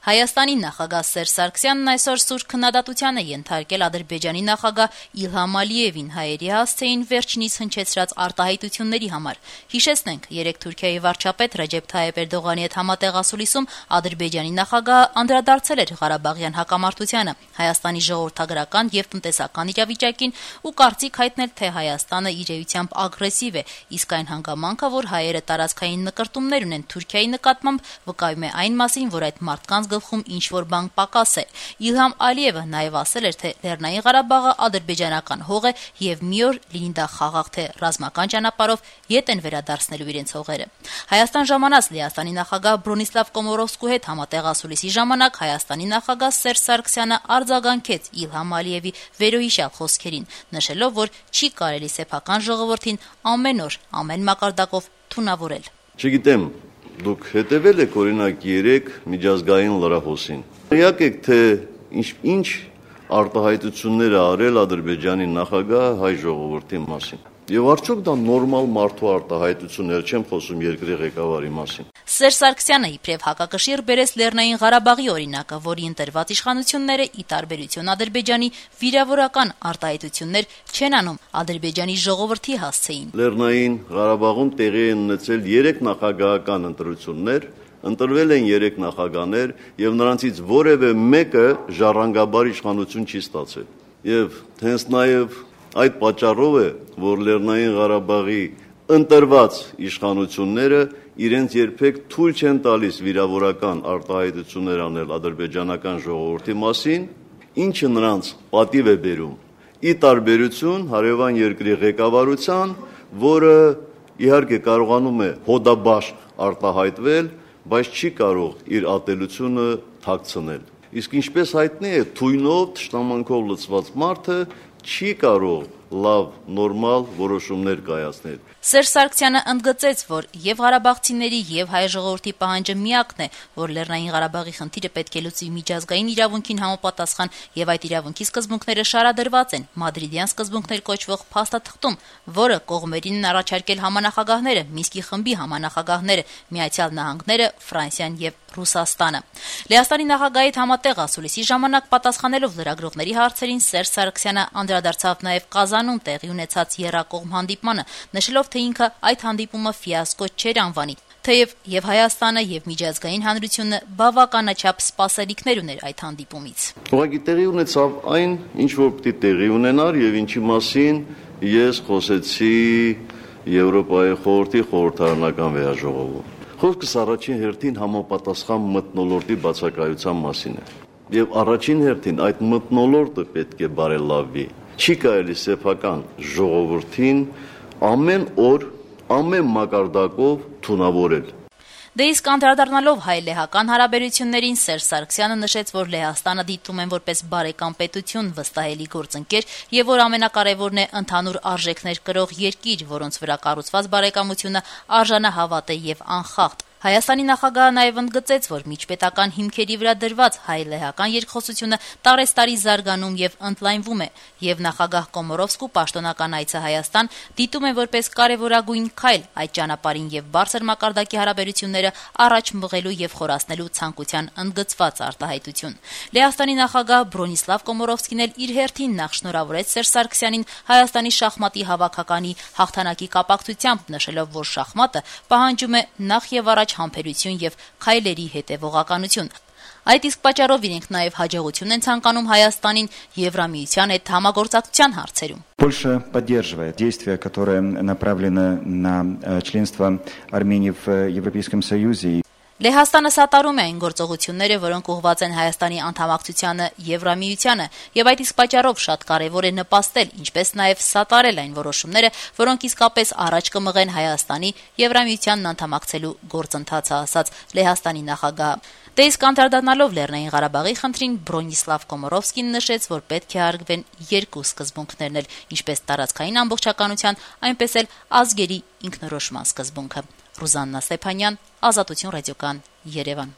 Հայաստանի նախագահ Սերժ Սարգսյանն այսօր սուր քննադատության է ենթարկել Ադրբեջանի նախագահ Իլհամ Ալիևին հայերի հասցեին վերջինիս հնչեցրած արտահայտությունների համար։ Հիշեցնենք, երեկ Թուրքիայի վարչապետ Ռեջեփ Թայիփ Էրդողանի հետ համատեղ ասուլիսում Ադրբեջանի նախագահը անդրադարձել էր Ղարաբաղյան հակամարտությանը, Հայաստանի ժողովրդագրական եւ տնտեսական իրավիճակին ու կարծիք հայտնել, թե Հայաստանը իր էությամբ ագրեսիվ է, իսկ այն հանգամանքը, որ հայերը տարածքային նկրտումներ ունեն Թուրքիայի նկատմամբ, վկայում է այն մասին, որ այդ մարդկանց գլխում ինչ-որ բան պակաս է։ Իլհամ Ալիևը նաև ասել էր, թե Լեռնային Ղարաբաղը ադրբեջանական հող է եւ մի օր լինի դա խաղաղ թե ռազմական ճանապարհով ետ են վերադարձնելու իրենց հողերը։ Հայաստան ժամանած Լեհաստանի նախագահ Բրոնիսլավ Կոմորովսկու հետ համատեղ ասուլիսի ժամանակ Հայաստանի նախագահ Սերժ Սարգսյանը արձագանքեց Իլհամ Ալիևի վերոհիշյալ խոսքերին, նշելով, որ չի կարելի սեփական ժողովրդին ամեն օր, ամեն մակարդակով թունավորել։ Չգիտեմ, դուք հետևել եք օրինակ 3 միջազգային լրահոսին։ Իհարկե եք, թե ինչ արտահայտություններ է արել Ադրբեջանի նախագահը հայ ժողովրդի մասին։ Եվ արդյոք դա նորմալ մարդու արտահայտություններ, չեմ խոսում երկրի ղեկավարի մասին։ Սերժ Սարգսյանը իբրև հակակշիռ բերեց Լեռնային Ղարաբաղի օրինակը, որի ընտրված իշխանությունները ի տարբերություն Ադրբեջանի վիրավորական արտահայտություններ չեն անում Ադրբեջանի ժողովրդի հասցեին։ Լեռնային Ղարաբաղում տեղի են ունեցել 3 նախագահական ընտրություններ, ընտրվել են 3 նախագահներ եւ նրանցից որևէ մեկը ժառանգաբար իշխանություն չի ստացել։ Եվ հենց նաեւ այդ պատճառով է, որ Լեռնային Ղարաբաղի ընտրված իշխանությունները իրենց երբեք թույլ չեն տալիս վիրավորական արտահայտություններ անել ադրբեջանական ժողովրդի մասին, ինչը նրանց պատիվ է բերում։ Ի տարբերություն հարևան երկրի ղեկավարության, որը իհարկե կարողանում է հոդաբաշխ արտահայտվել, բայց չի կարող իր ատելությունը թաքցնել։ Իսկ ինչպես հայտնի է, թույնով, թշնամանքով լցված մարդը չի կարող լավ, նորմալ որոշումներ կայացնել։ Սերժ Սարգսյանը ընդգծեց, որ եւ ղարաբաղցիների եւ հայ ժողովրդի պահանջը միակն է, որ Լեռնային Ղարաբաղի խնդիրը պետք է լուծի միջազգային իրավունքին համապատասխան եւ այդ իրավունքի սկզբունքները շարադրված են Մադրիդյան սկզբունքներ կոչվող փաստաթղթում, որը կողմերին են առաջարկել համանախագահները, Մինսկի խմբի համանախագահները, Միացյալ Նահանգները, Ֆրանսիան եւ Ռուսաստանը։ Լեհաստանի նախագահի հետ համատեղ ասուլիսի ժամանակ պատասխանելով լրագրողների հարցերին Սերժ Սարգսյանը անդրադարձավ նաեւ Կազանում տեղի ունեցած եռակողմ հանդիպմանը, նշելով, թե ինքը այդ հանդիպումը ֆիասկո չէր անվանի, թեև եւ Հայաստանը եւ միջազգային հանրությունը բավականաչափ սպասելիքներ ուներ այդ հանդիպումից։ Ուղղակի տեղի ունեցավ այն, ինչ որ պիտի տեղի ունենար եւ ինչի մասին ես խոսեցի Եվրոպայի խորհրդի խորհրդարանական վերաժողովում։ Խոսքս առաջին հերթին համապատասխան մթնոլորտի բացակայության մասին է։ Եվ առաջին հերթին այդ մթնոլորտը պետք է բարելավվի։ Չի կարելի սեփական ժողովրդին ամեն օր, ամեն մակարդակով թունավորել։ Դե իսկ անդրադառնալով հայ-լեհական հարաբերություններին Սերժ Սարգսյանը նշեց, որ Լեհաստանը դիտում են որպես բարեկամ պետություն, վստահելի գործընկեր եւ որ ամենակարևորն է ընդհանուր արժեքներ կրող երկիր, որոնց վրա կառուցված բարեկամությունը արժանահավատ է եւ անխախտ։ Հայաստանի նախագահը նաև ընդգծեց, որ միջպետական հիմքերի վրա դրված հայ-լեհական երկխոսությունը տարեստարի զարգանում եւ ընդլայնվում է, եւ նախագահ Կոմորովսկու պաշտոնական այցը Հայաստան դիտում է որպես կարևորագույն քայլ այդ ճանապարհին եւ բարձր մակարդակի հարաբերությունները առաջ մղելու եւ խորացնելու ցանկության ընդգծված արտահայտություն։ Լեհաստանի նախագահ Բրոնիսլավ Կոմորովսկին էլ իր հերթին նախ շնորհավորեց Սերժ Սարգսյանին Հայաստանի շախմատի հավաքականի հաղթանակի կապակցությամբ, նշելով, որ շախմատը պահանջում է նախ եւ առաջ համբերություն եւ քայլերի հետեւողականություն։ Այդ իսկ պատճառով իրենք նաեւ հաջողություն են ցանկանում Հայաստանին Եվրամիության հետ համագործակցության հարցերում։ Польша поддерживает действия, которые направлены на членство Армении в Европейском Союзе. Լեհաստանը սատարում է այն գործողությունները, որոնք ուղղված են Հայաստանի անդամակցությանը Եվրամիությանը, եւ այդ իսկ պատճառով շատ կարեւոր է նպաստել, ինչպես նաեւ սատարել այն որոշումները, որոնք իսկապես առաջ կմղեն Հայաստանի Եվրամիությանն անդամակցելու գործընթացը, ասաց Լեհաստանի նախագահը։ Դե իսկ անդրադառնալով Լեռնային Ղարաբաղի խնդրին Բրոնիսլավ Կոմորովսկին նշեց, որ պետք է հարգվեն երկու սկզբունքներն էլ, ինչպես տարածքային ամբողջականության, այնպես էլ ազգերի ինքնորոշման սկզբունքը։ Ռուզաննա Ստեփանյան, Ազատություն ռադիոկան, Երևան։